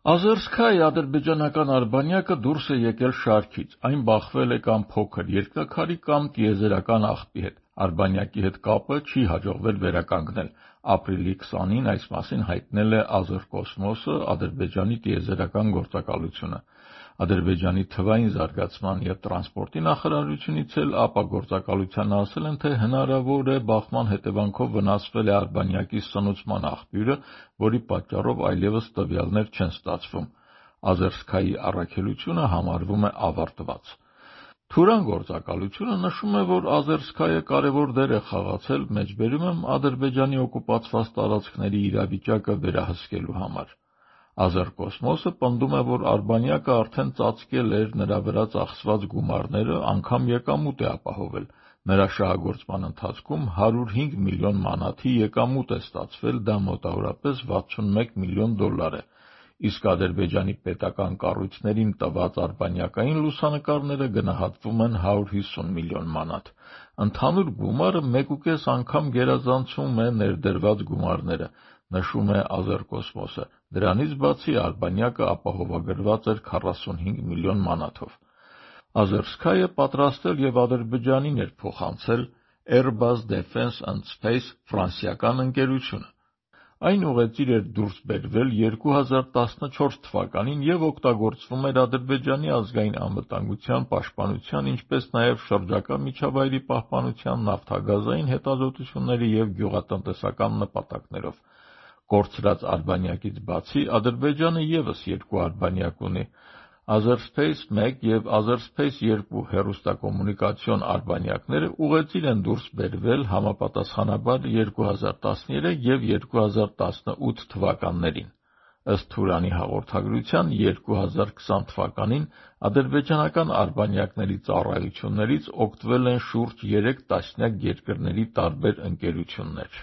Ազերսկայի ադրբեջանական արբանյակը դուրս է եկել շարքից, այն բախվել է կամ փոքր երկնաքարի կամ տիեզերական աղբի հետ, արբանյակի հետ կապը չի հաջողվել վերականգնել, ապրիլի 20-ին այս մասին հայտնել է Ազերկոսմոսը, Ադրբեջանի տիեզերական գործակալությունը։ Ադրբեջանի թվային զարգացման և տրանսպորտի նախարարությունից էլ ապագործակալությանը ասել են, թե հնարավոր է բախման հետևանքով վնասվել է արբանյակի սնուցման աղբյուրը, որի պատճառով այլևս տվյալներ չեն ստացվում։ Ազերսկայի առաքելությունը համարվում է ավարտված։ Թուրան գործակալությունը նշում է, որ Ազերսկայը կարևոր դեր է խաղացել, մեջբերում եմ, Ադրբեջանի օկուպացված տարածքների իրավիճակը վերահսկելու համար։ Ազերկոսմոսը պնդում է, որ արբանյակը արդեն ծածկել էր նրա վրա ծախսված գումարները, անգամ եկամուտ է ապահովել։ Նրա շահագործման ընթացքում 105 միլիոն մանաթի եկամուտ է ստացվել, դա մոտավորապես $61 միլիոն է, իսկ Ադրբեջանի պետական կառույցներին տված արբանյակային լուսանկարները գնահատվում են 150 միլիոն մանաթ։ Ընդհանուր գումարը 1,5 անգամ գերազանցում է ներդրված գումարները, նշում է Ազերկոսմոսը։ Դրանից բացի արբանյակը ապահովագրված էր 45 միլիոն մանաթով։ Ազերսկայը պատրաստել և Ադրբեջանին էր փոխանցել Airbus Defence and Space ֆրանսիական ընկերությունը։ Այն ուղեծիր էր դուրս բերվել 2014 թվականին և օգտագործվում էր Ադրբեջանի ազգային անվտանգության, պաշտպանության, ինչպես նաև շրջակա միջավայրի պահպանության, նավթագազային հետազոտությունների և գյուղատնտեսական նպատակներով։ Կորցրած արբանյակից բացի Ադրբեջանը ևս երկու արբանյակ ունի՝ Azerspace-1 և Azerspace-2 հեռուստակոմունիկացիոն արբանյակները ուղեծիր են դուրս բերվել համապատասխանաբար 2013 և 2018 թվականներին։ Ըստ Թուրանի հաղորդագրության 2020 թվականին ադրբեջանական արբանյակների ծառայություններից օգտվել են շուրջ 3 տասնյակ երկրների տարբեր ընկերություններ։